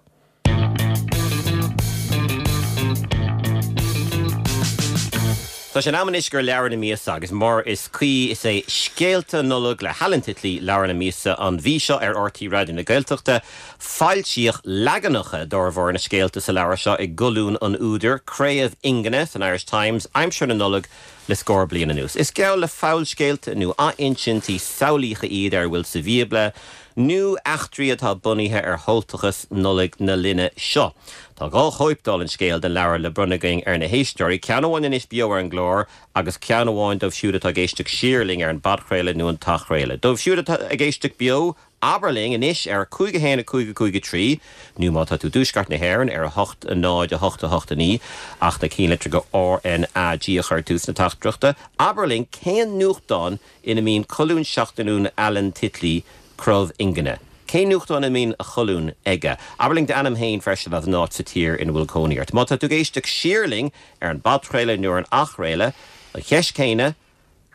Tá sé in am anois do leabhar na míosa agus mar is cuí is é Scéalta Nollag le hAlan Titley leabhar na míosa an mhí seo ar RTÉ Raidió na Gaeltachta. Foilsíodh leaganacha d'fhormhór na scéalta sa leabhar seo i gcolún an údair, Craobh Fhingine, san Irish Times aimsir na Nollag le scór bliain anuas. Is geall le fabhalscéalta nó athinsintí samhlaíocha iad ar a bhfuil sa Bhíobla nó eachtraí atá bunaithe ar shamhaltachas Nollaig na linne seo. Tá 2 chóip dála an scéil den leabhar le bronnadh againn ar na héisteoirí, ceann amháin anois beo ar an gclár agus ceann amháin dóibh siúd atá ag éisteacht siar linn ar an bpodchraoladh nó an t-athchraoladh. Dóibh siúd atá ag éisteacht beo, Abair linn anois ar 5 1 5 5 3 nó má tá tú i dTuaisceart na hÉireann ar 8 0 8 8 9 ach na cinnlitreacha RnaG a chur ag tús na teachtaireachta. Abair linn cén nuachtán ina mbíonn colún seachtainiúil Alan Titley, Craobh Fhingine. Cén nuachtán ina mbíonn a cholún aige? Abair linn d'ainm féin freisin agus an áit sa tír ina bhfuil cónaí ort. Má tá tú ag éisteacht siar linn ar an bpodchraoladh nó ar an athchraoladh, an cheist chéanna,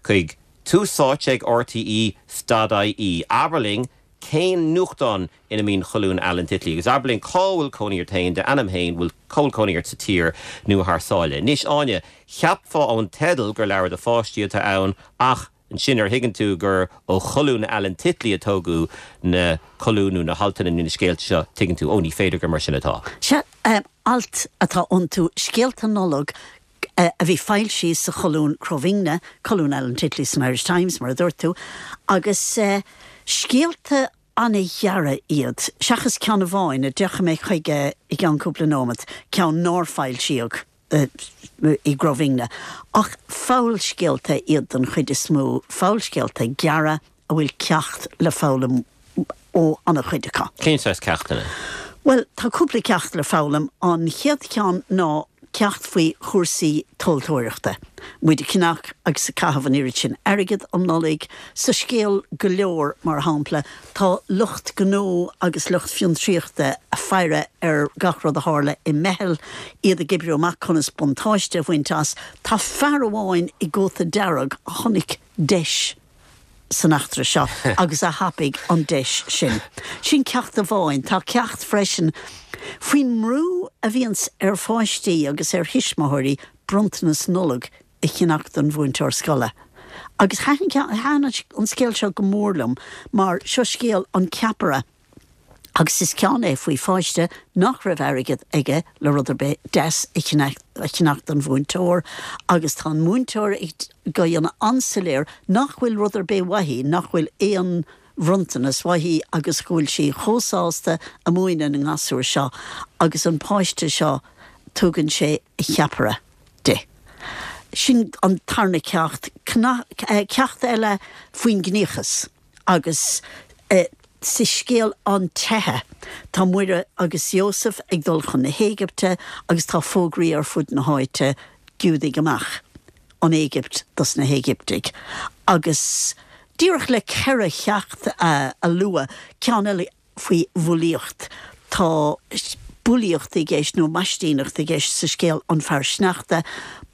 chuig Tús Áite ag RTÉ stad IE. Abair linn cén nuachtán ina mbíonn colún Alan Titley agus abair linn cá bhfuil cónaí ort féin, d'ainm féin, bhfuil, cá bhfuil cónaí ort sa tír nó thar sáile. Anois, Áine, cheapfá ón teideal gur leabhar do pháistí atá ann ach ansin nuair a thuigeann tú gur ó cholún Alan Titley a tógadh na colúin nó na haltanna nó na scéalta seo, tuigeann tú, ó ní féidir gur mar sin atá. Sea, alt atá iontu, scéalta Nollag a bhí foilsithe sa cholún Crobhingne, colún Alan Titley san Irish Times, mar a dúirt tú, agus scéalta an-ghearra iad, seachas ceann amháin, a dtiocfaidh mé chuige i gceann cúpla nóimeat, ceann nár foilsíodh i gCrobhingne. Ach fabhalscéalta iad den chuid is mó, fabhalscéalta gearra a bhfuil ceacht le foghlaim ó an-chuid acu. Cén saghas ceachtanna? Bhuel, tá cúpla ceacht le foghlaim. An chéad cheann ná ceacht faoi chúrsaí tomhaltóireachta. Muid ag ceannach agus ag caitheamh an oiread sin airgid um Nollaig. Sa scéal Go Leor, mar shampla, tá lucht gnó agus lucht fiontraíochta ag faire ar gach rud a tharla i meitheal, iad ag oibriú amach conas buntáiste a bhaint as. Tá fear amháin i gcóta dearg a chonaic deis san eachtra seo agus a thapaigh an deis sin. Sin ceacht amháin. Tá ceacht freisin faoin mbrú a bhíonns ar pháistí agus ar thuismitheoirí bronntanas Nollag a cheannach don mhúinteoir scoile. Agus thaitin an scéal seo go mór liom mar seo scéal an ceapaire. Agus is ceann é faoi pháiste nach raibh airgead aige le rud ar bith deas a cheannach don mhúinteoir agus tá an múinteoir ag déanamh an-soiléir nach bhfuil rud ar bith uaithi, nach bhfuil aon bhronntanas uaithi agus go bhfuil sí chomh sásta a múineadh na ngasúr seo agus an páiste seo tugann sé a cheapaire di. Sin an tarna ceacht. Ceacht eile faoin gciníochas. Agus sa scéal An Teitheadh, tá Muire agus Iósaf ag dul chun na hÉigipte agus tá fógraí ar fud na háite, Giúdaigh amach! An Éigipt dos na hÉigiptigh. Agus díreach le ceithre cheacht a lua, ceann eile faoi bhulaíocht, tá. bulaíocht i gceist nó maistíneacht i gceist sa scéal An Fear Sneachta,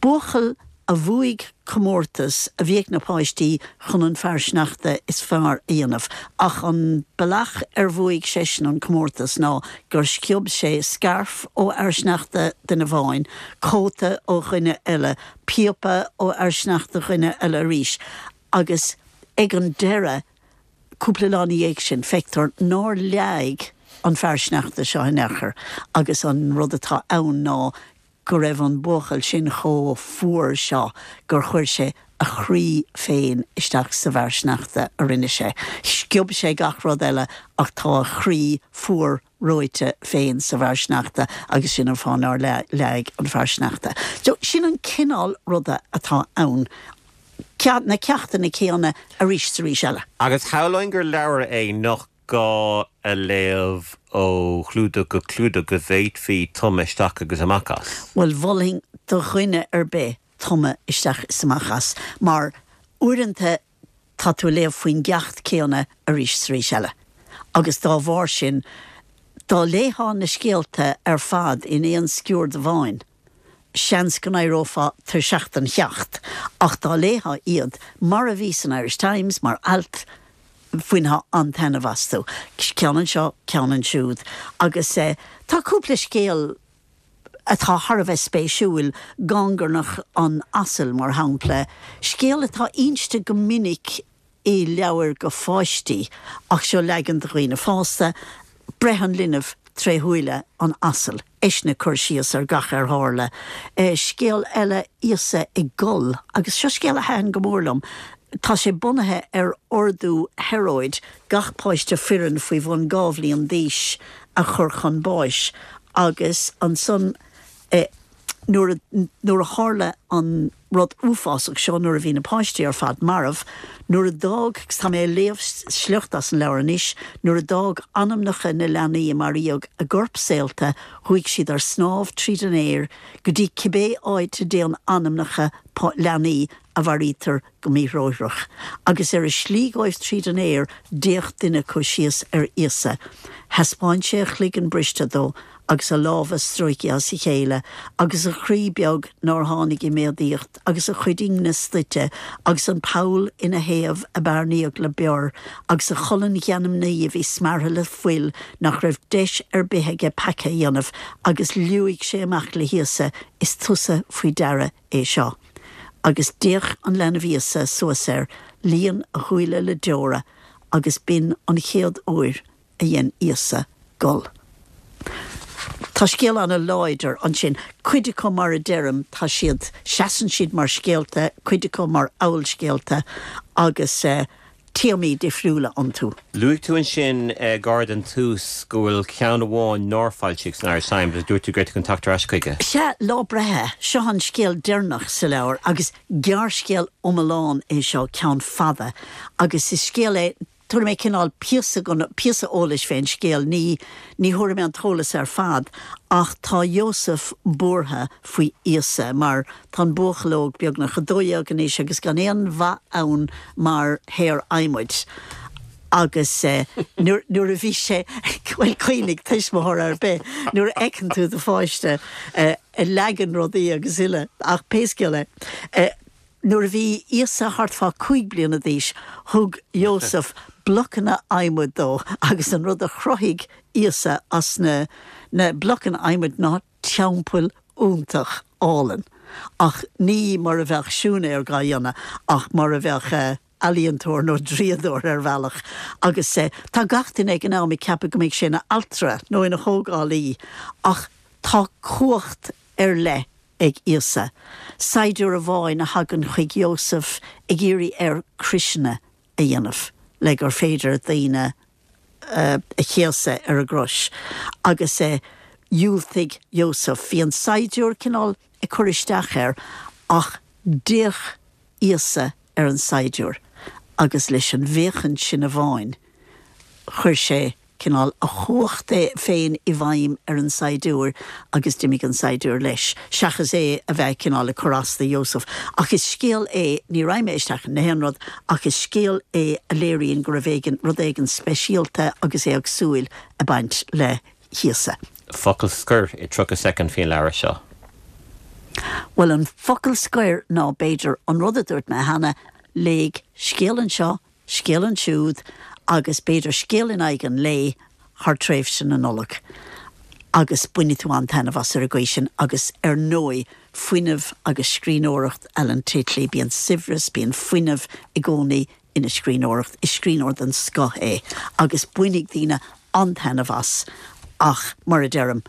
buachaill a bhuaigh comórtas a bhí ag na páistí chun an fear sneachta is fearr a dhéanamh. Ach an bealach ar bhuaigh seisean an comórtas ná gur sciob sé scairf ó fhear sneachta duine amháin, cóta ó dhuine eile, píopa ó fhear sneachta dhuine eile arís agus ag an deireadh, Cúpla lá ina dhiaidh sin, feictear nár leáigh an fear sneachta seo in aon chor agus an rud atá ann ná go raibh an buachaill sin chomh fuar seo gur chuir sé a chroí féin isteach sa bhfear sneachta a rinne sé. Sciob sé gach rud eile ach tá a chroí fuar reoite féin sa bhfear sneachta agus sin an fáth nár leáigh an fear sneachta. So, sin an cineál ruda atá ann. Na ceachtanna céanna arís 's arís eile. Agus shamhlóinn gur leabhar é nach gá a léamh ó chlúdach go clúdach, go bhféadfaí tumadh isteach agus amach as. Bhuel, mholfainn do dhuine ar bith tumadh isteach is amach as, mar uaireanta tá tú ag léamh faoin gceacht céanna arís 's arís eile. Agus dá bharr sin, dá léifeá na scéalta ar fad in aon sciuird amháin, seans go n-éireofá tuirseach den cheacht, ach dá léifeá iad mar a bhí san Irish Times, mar ailt, bhainfeá an-taitneamh astu. Ceann anseo, ceann ansiúd. Agus tá cúpla scéal atá thar a bheith spéisiúil, Gangarnach an Asail, mar shampla, scéal atá inste go minic i leabhair go pháistí, ach seo leagan do dhaoine fásta, breith an linbh tré shúile an asail, eisean ag cur síos ar gach ar tharla. Scéal eile, Íosa ag gol, agus seo scéal a thaitin go mór liom. Tá sé bunaithe ar ordú Heróid gach páiste fireann faoi bhun 2 bhliain d'aois a chur chun báis, agus ansan, nuair a, nuair a tharla an rud uafásach seo, nuair a bhí na páistí ar fad marbh, nuair a d'fhág, agus tá mé ag léamh sliocht as an leabhar anois, nuair a d'fhág anamnacha na leanaí a maraíodh a gcoirp saolta, chuaigh siad ar snámh tríd an aer go dtí cibé áit a dtéann anamnacha leanaí a mharaítear go míthrócaireach. Agus ar a slí dhóibh tríd an aer, d'fhéach duine acu síos ar Íosa. Thaispeáin sé a chloigeann briste dó, agus a lámha stróicthe as a chéile, agus a chroí beag nár tháinig i méadaíocht, agus a chuid ingne stoite, agus an poll ina thaobh a bearnaíodh le bior, agus a cholainn gheanmnaí a bhí smeartha le fuil nach raibh deis ar bith aige peaca a dhéanamh, agus liúigh sé amach le hÍosa, Is tusa faoi deara é seo. Agus d'fhéach an leanbh Íosa suas air, líon a shúile le deora, agus b'in an chéad uair a dhein Íosa gol. Tá scéal ana-láidir ansin. Cuid acu, mar a deirim, tá siad, seasann siad mar scéalta, cuid acu mar fhabhalscéalta agus téamaí difriúla iontu. Luaigh tú ansin gar don tús go bhfuil ceann amháin nár foilsíodh san Irish Times agus dúirt tú go raibh tú chun teacht ar ais chuige. Sea, Lá Breithe. Seo an scéal deireanach sa leabhar agus gearrscéal iomlán é seo, ceann fada, agus is scéal é, Tabharfaidh mé cineál píosa den, píosa eolais fén scéal, ní, ní thabharfaidh mé an t-eolas ar fad, ach tá Iósaf buartha faoi Íosa, mar tá an buachaill óg beagnach 12 anois agus gan aon mhaith ann mar shaor adhmaid. Agus nuair, nuair a bhí sé, bhuel, cuimhnigh, tuismitheoir ar bith, nuair a fheiceann tú do pháiste ag leagan rudaí agus uile, ach pé scéal é, Nuair a bhí Íosa thart fá 5 bliana d'aois, thug Iósaf blocanna adhmaid dó agus an rud a chruthaigh Íosa as na na blocanna adhmaid ná teampall iontach álainn. Ach ní mar a bheadh siúinéir dhá dhéanamh ach mar a bheadh ealaíontóir nó draíodóir ar bhealach. Agus tá gach duine ag an am ag ceapadh go mbeidh sé ina altra nó ina thógálaí ach tá cumhacht ar leith ag Íosa. Saighdiúir amháin a thagann chuig Iósaf ag iarraidh air croiseanna a dhéanamh le gur féidir daoine a chéasadh ar an gcrois. Agus dhiúltaigh Iósaf. Bhí an saighdiúir cineál ag cur isteach air ach d'fhéach Íosa ar an saighdiúir agus leis an bhféachaint sin amháin chuir sé cineál a chumhacht féin i bhfeidhm ar an saighdiúir agus d'imigh an saighdiúir leis, seachas é a bheith cineál ag cur as do Iósaf. Ach is scéal é, ní raghaidh mé isteach in aon rud, ach is scéal é a léiríonn go raibh éigin, rud éigin speisialta agus éagsúil ag baint le. chíosa. Focal scoir i 30 soicind faoin leabhar seo. Bhuel, an focal scoir ná, b'fhéidir, an rud a dúirt mé cheana, léigh scéal anseo, scéal ansiúd agus b'fhéidir scéal in aghaidh an lae thar tréimhse na Nollag agus bainfidh tú an-taitneamh as ar an gcaoi sin agus ar ndóigh fuinneamh agus scríbhneoireacht Alan Titley, bíonn saibhreas, bíonn fuinneamh i gcónaí ina scríbhneoireacht, is scríbhneoir den scoth é agus bainfidh daoine an-taitneamh as ach mar a deirim,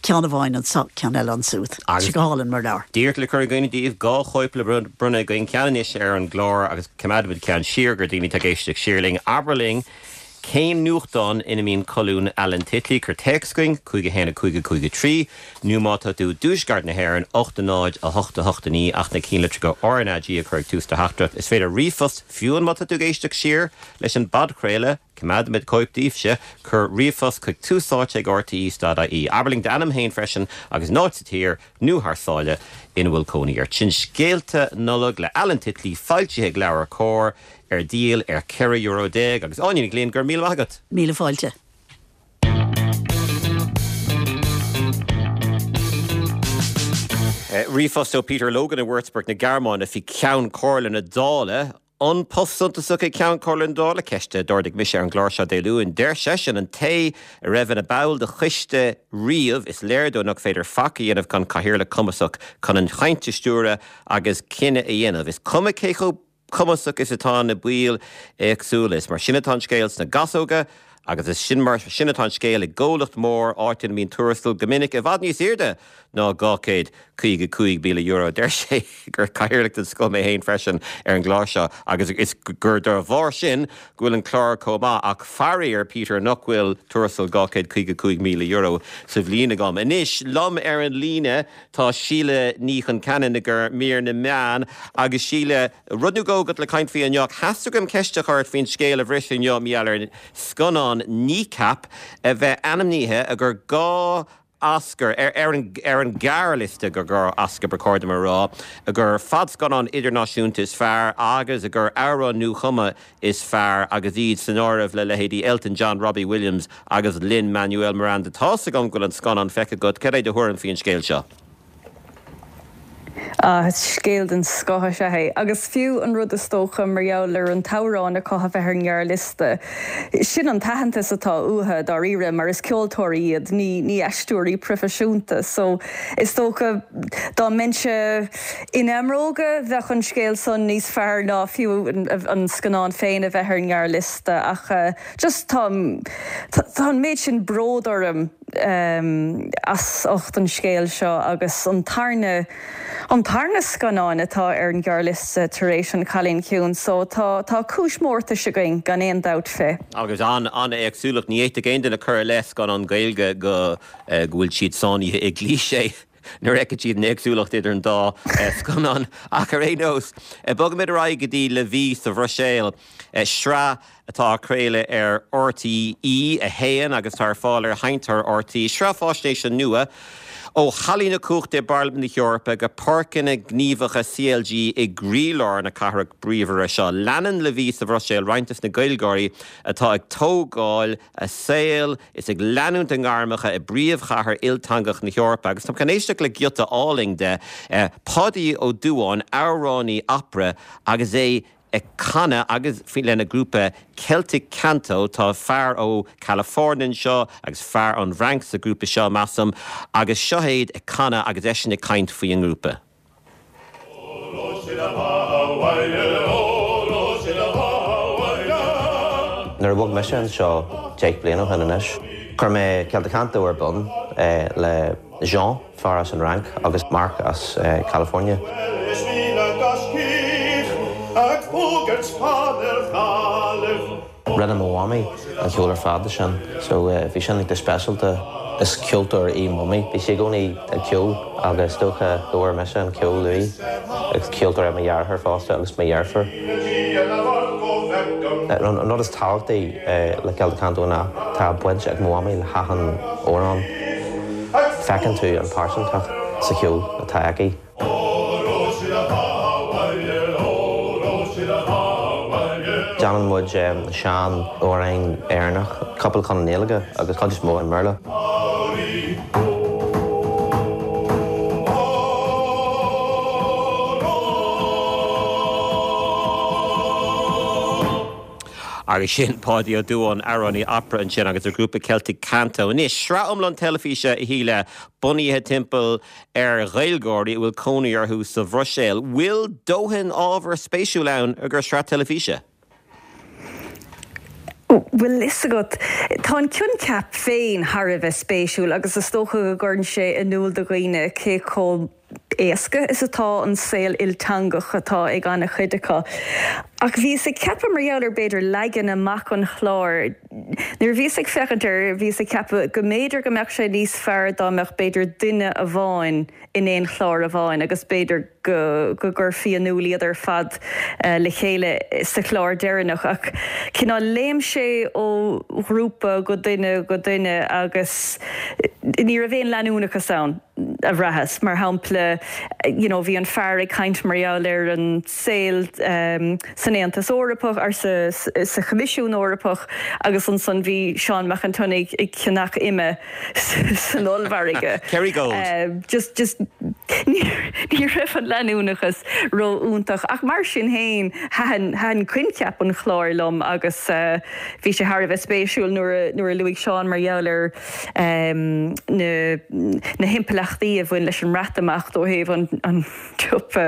ceann amháin anso, ceann eile ansúd. Tá sé go hálainn mar leabhar. Díreach le cur i gcuimhne daoibh, 2 chóip le bronnadh againn, ceann anois ar an gclár agus coimeádfaimid ceann siar do dhaoine atá ag éisteacht siar linn. Abair linn cén nuachtán ina mbíonn colún Alan Titley, cuir téacs chugainn, 5 1 5 5 3, nó má tá tú i dtuaisceart na hÉireann, 8 0 8 8 9, ach na cinnlitreacha RnaG a chur ag tús do theachtaireacht. Is féidir ríomhphost, fiú má tá tú ag éisteacht siar leis an bpodchraoladh, Coimeádfaimid cóip daoibhse. Cuir ríomhphost chuig túsáite ag rte dot ie. Abair linn d'ainm féin freisin agus an áit sa tír nó thar sáile ina bhfuil cónaí ort. Sin Scéalta Nollag le Alan Titley, foilsithe ag LeabhairCOMHAR, ar díol ar €14 euro. Agus Áine Ní Ghlinn, go raibh míle maith agat. Míle fáilte. Ríomhphost ó Peter Logan i Würzburg na Gearmáine faoi Ceann Comhairle na Dála. An post suntasach é Ceann Comhairle na Dála? Ceist a d'ardaigh mise ar an gclár seo Dé Luain. Deir seisean, an té a raibh ina ball de choiste riamh, is léir dó nach féidir faic a dhéanamh gan cathaoirleach cumasach chun an chaint a stiúradh agus cinneadh a dhéanamh. Is cuma cé chomh cumasach is atá na baill éagsúla. Is mar sin atá an scéal sna gasóga agus is sin mar sin atá an scéal i gcomhlacht mór, áit ina mbíonn tuarastal go minic i bhfad níos airde ná €255,000. Deir sé gur cathaoirleach den scoth mé féin freisin ar an gclár seo agus is gur dá bharr sin go bhfuil an clár chomh maith ach faraor, Peter, nach bhfuil tuarastal €255,000 sa bhliain agam. Anois, liom ar an líne tá Síle Ní Chonceanainn i gcomhair mír na meán agus Síle, rud nó dhó agat le caint faoi inniu. Theastaigh uaim ceist a chur ort faoin scéal a bhris inniu, mar gheall ar scannán Kneecap a bheith ainmnithe i gcomhair 2 Oscar, ar an ar an ghearrliosta do 2 Oscar ba chóir dom a rá, i gcomhair fadscannán idirnáisiúnta is fearr agus i gcomhair amhrán nuachumtha is fearr agus iad san áireamh le leithéidí Elton John, Robbie Williams agus Lin-Manuel Miranda. Tá's agam go bhfuil an scannán feicthe agat, cad é do thuairim faoin scéal seo? Ah, scéal den scoth is ea é. Agus fiú an rud is dócha mar gheall ar an t-amhrán acu a bheith ar an ngearrliosta, sin an t-aitheantas atá uathu dáiríre mar is ceoltóirí iad, ní ní aisteoirí proifisiúnta. So, is dócha dá mbeinnse ina mbróga bheadh an scéal san níos fearr ná fiú an scannán féin a bheith ar an ngearrliosta. Ach just tá tá an méid sin bród orm. as ucht an scéil seo agus an tarna an tarna scannán atá ar an ghearrliosta tar éis An Cailín Ciúin so tá tá cúis mórtais againn gan aon dabht fé. Agus an-éagsúlacht, ní fhéadfadh aon duine cur i leith scannán Gaeilge go go bhfuil siad sáinnithe i gcliché nuair a fheiceann siad an éagsúlacht idir an dá scannán. Ach ar aon nós, bogfaimid ar aghaidh go dtí La Vie sa Bhruiséil, sraith atá á craoladh ar RTÉ 1 agus atá ar fáil ar sheinnteoir RTÉ, sraith faisnéise nua ó hallaí na cumhachta i bParlaimint na hEorpa go páirceanna gníomhacha CLG i gcroílár na cathrach bríomhaire seo. Leanann La Vie sa Bhruiséil roinnt des na Gaeilgeoirí atá ag tógáil a saol is ag leanúint a ngairmeacha i bpríomhchathair ilteangach na hEorpa. Agus táim chun éisteacht le giota álainn de Pháidí Ó Dubháin, amhránaí opera agus é ag canadh agus lena ghrúpa Celtic Canto. Tá fear ó California anseo agus fear ón bhFrainc sa ghrúpa seo, measaim, agus seo iad ag canadh agus eisean ag caint faoin ngrúpa. Nuair a bhog mise anseo 10 bliain ó shin anois, chuir mé Celtic Canto ar bun le Jean. fear as an Fhrainc agus Marc as California. Rinne mo mhamaí an ceol ar fad de sin so bhí sin iontach speisialta. Is ceoltóir í Mamaí. Bhí sí i gcónaí ag ceol agus is dócha go bhfuair mise an ceol uaithi. Is ceoltóir é mo dheartháir fosta agus mo dheirfiúr. An rud is tábhachtaí le Celtic Canto ná tá baint ag mo mhamaí le hachan amhrán. Feiceann tú an pearsantacht sa cheol atá aici. Déanann muid sean amhráin Éireannach, cúpla ceann i nGaeilge agus cuid is mó i mBéarla. Agus sin Páidí Ó Dubháin, amhránaí opera ansin agus a ghrúpa Celtic Canto. Anois, sraith iomlán teilifíse, a Shíle, bunaithe timpeall ar Ghaeilgeoirí a bhfuil cónaí orthu sa Bhruiséil. Bhfuil dóthain ábhar spéisiúil ann i gcomhair sraith teilifíse? Bhfuil fhios agat, tá an coincheap féin thar a bheith spéisiúil agus is dócha go gcuireann sé in iúl do dhaoine cé chomh éasca is atá an saol ilteangach atá ag an-chuid acu. Ach bhíos ag ceapadh mar gheall ar b'fhéidir leagan amach an chláir, nuair a bhíos ag féachaint air bhíos ag ceapadh go mb'fhéidir go mbeadh sé níos fearr dá mbeadh b'fhéidir duine amháin in aon chlár amháin agus b'fhéidir go go gcuirfí in iúl iad ar fad le chéile sa chlár deireanach. Ach cineál léim sé ó ghrúpa go duine go duine agus ní raibh aon leanúnachas ann, a bhraitheas. Mar shampla, you know bhí an fear ag caint mar gheall ar an saol san Aontas Eorpach, or sa sa Choimisiún Eorpach agus ansan bhí Seán Mac an tSionnaigh ag ceannach ime. san ollmhargadh. Kerrygold. Just, just, ní raibh an leanúnachas ró-fhiúntach ach mar sin féin thaitin, thaitin coincheap an chláir liom agus bhí sé thar a bheith spéisiúil nuair a, nuair a luaigh Seán mar gheall ar na, na himpleachtaí a bhain leis an mBreatimeacht ó thaobh an, an tsiopa.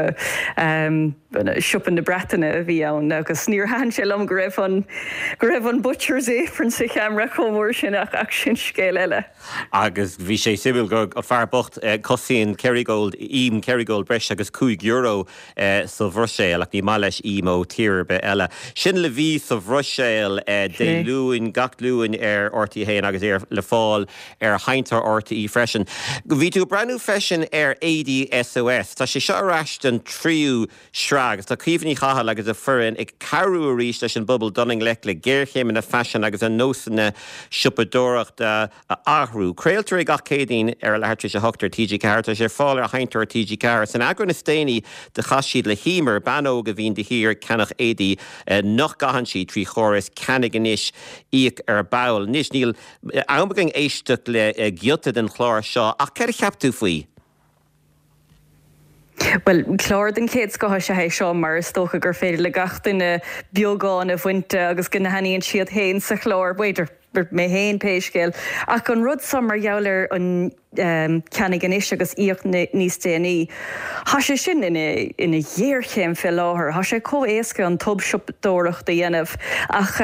siopa na Breataine a bhí ann agus níor thaitin sé liom go raibh an, go raibh an butcher's apron sa cheamara chomh mór sin ach, ach sin scéal eile. Agus bhí sé suimiúil gur an fear bocht, cosnaíonn Kerrygold, im Kerrygold breis agus €5 sa Bhruiséil ach ní maith leis im ó tír ar bith eile. Sin Le Bhí sa Bhruiséil Dé Luain, gach Luan ar RTÉ 1 agus é le fáil ar sheinnteoir RTÉ freisin. Bhí tú ag breathnú freisin ar Éadaí SOS. Tá sé seo ar ais don tríú sraith agus tá Caoimhe Ní Chathail agus a foireann ag cabhrú arís leis an bpobal dul i ngleic le géarchéimeanna faisin agus a nósanna siopadóireachta a athrú. Craoltar é gach Céadaoin ar a leathuair tar éis a hocht ar TG4. Tá sé ar fáil ar sheinnteoir TG4. San eagrán is déanaí do chas siad le hEmer, bean óg a bhíonn de shíor ag ceannach éadaí nach gcaitheann sí trí chóras ceannaigh anois, íoc ar ball. Anois níl am againn éisteacht le giota den chlár seo, ach céard a cheap tú faoi? Bhuel, clár den chéad scoth is ea é seo mar is dócha gur féidir le gach duine beagán a bhaint de agus go n-aithníonn siad féin sa chlár, b'fhéidir, mé féin pé scéal. Ach an rud seo mar gheall ar an. ceannaigh anois agus íoc níos déanaí. Tá sé sin ina ina ghéarchéim fé láthair. Tá sé chomh éasca an tobshiopadóireacht a dhéanamh ach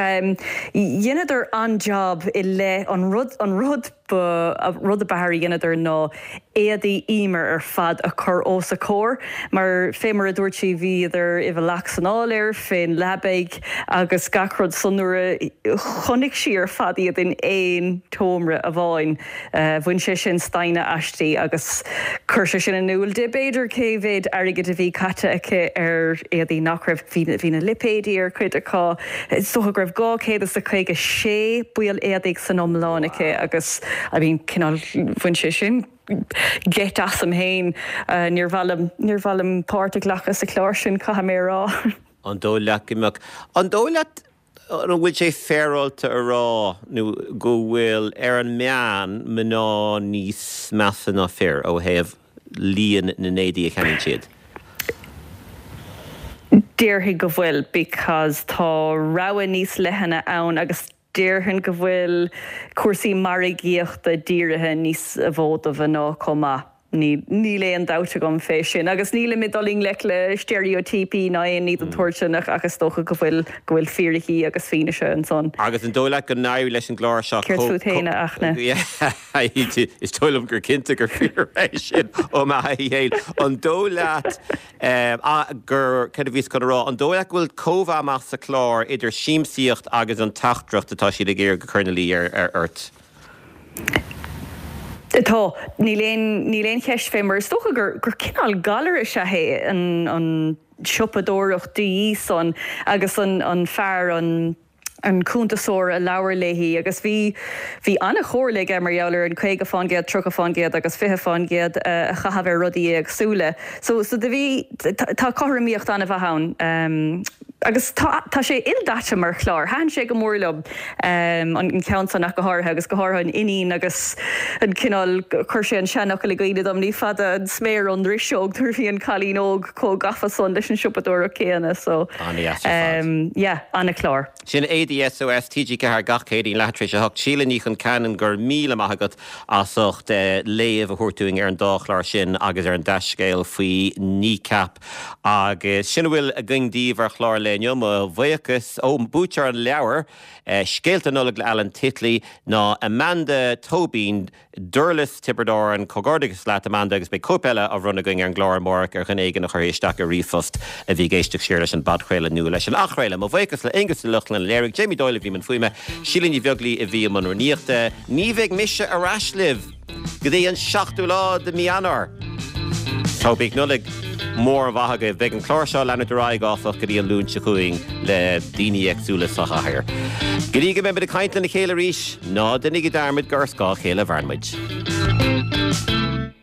dheineadar an-jab i leith an rud an rud ba rud a b'fhearr a dheineadar ná éadaí Emer ar fad a chur os a comhair mar fé mar a dúirt sí bhíodar i bhfolach san áiléar fén leabaidh agus gach rud so nuair a chonaic sí ar fad iad in aon tseomra amháin Bhain sé sin staonadh aisti agus chuir sé sin in iúl di, b'fhéidir, cé mhéad airgid a bhí caite aici ar éadaí nach raibh, bhí na lipéidí ar chuid acu, is dócha go raibh 256 baill éadaigh san iomlán aici agus, I mean, cineál, bhain sé sin geit asam féin. Níor mhaith liom, níor mhaith liom páirt a ghlacadh sa chlár sin, caithfidh mé a rá. An dóigh leat go mbeadh, an dóigh leat An bhfuil sé féaráilte a rá nó go bhfuil, ar an meán, mná níos measa ná fir ó thaobh líon na n-éadaí a cheannaíonn siad? Déarfainn go bhfuil because tá rogha níos leithne ann agus déarfainn go bhfuil cúrsaí margaíochta dírithe níos mó do mhná chomh maith. Níl aon dabht agam fé sin. Agus nílim ag dul i ngleic le steiréitíopaí ná aon ní den tsórt sin ach ach is dócha go bhfuil, go bhfuil fíricí agus fianaise ansan. Agus an dóigh leat go n-éireoidh leis an gclár seo Céard fút féin, a Fhachtna? Is dóigh liom gur cinnte gur fíor é sin ó m'thaithí féin. An dóigh leat gur, céard a bhíos chun a rá, an dóigh leat go bhfuil cóimheá maith sa chlár idir siamsaíocht agus an teachtaireacht atá siad ag iarraidh a chur ina luí ort? Tá. Níl aon, níl aon cheist fé mar is dócha gur, gur cineál galar is ea é an, an tsiopadóireacht de dhíth san agus an, an fear, an, an cuntasóir a labhair léi agus bhí, bhí an-chomhairle aige mar gheall ar an 50 fán gcéad, 30 fán gcéad agus 20 fán gcéad a chaitheamh ar rudaí éagsúla. So, so do bhí, tá cothromaíocht an-mhaith ann. Agus tá, tá sé ildaite mar chlár. Thaitin sé go mór liom, an ceann san ach go háirithe, agus go háirithe an iníon agus an cineál, chuir sé an seanfhocal i gcuimhne dom, ní fada an sméar ón ndriseog nuair a bhí an cailín óg chomh gafa san leis an siopadóireacht céanna. So, An-dheas ar fad. yeah, an-chlár. Sin ADSOS, TG4 gach Céadaoin, leath tar éis a hocht. Síle Ní Chonceanainn, go raibh míle maith agat as ucht léamh a thabhairt dúinn ar an dá chlár sin agus ar an dea-scéal faoi Kneecap. Agus sin a bhfuil againn daoibh ar chlár an lae inniu. Mo bhuíochas ó buaiteoir an leabhair, Scéalta Nollag le Alan Titley, ná Amanda Tóibín, Durlas, Tiobraid Árann. Comhghairdeachas leat, Amanda, agus beidh cóip eile á bhronnadh againn ar an gclár amárach ar dhuine éigin a chuirfidh isteach ar ríomhphost a bhí ag éisteacht siar leis an bpodchraoladh nó leis an athchraoladh. Mo bhuíochas le Aonghus Ó Lochlainn a léirigh, Jamie Doyle a bhí i mbun fuaime, Síle Ní Bheaglaoi a bhí i mbun rúnaíochta. Ní bheidh mise ar ais libh! Go dtí an seachtú lá de mí Eanáir. Tá bíodh Nollaig mhór mhaith agaibh. Beidh an clár seo ag leanúint ar aghaidh, áfach, go dtí an Luan seo chugainn le daoine éagsúla sa chathaoir. Go dtí go mbeimid ag caint lena chéile arís, ná déanaigí dearmad gur ar scáth a chéile a mhaireann muid.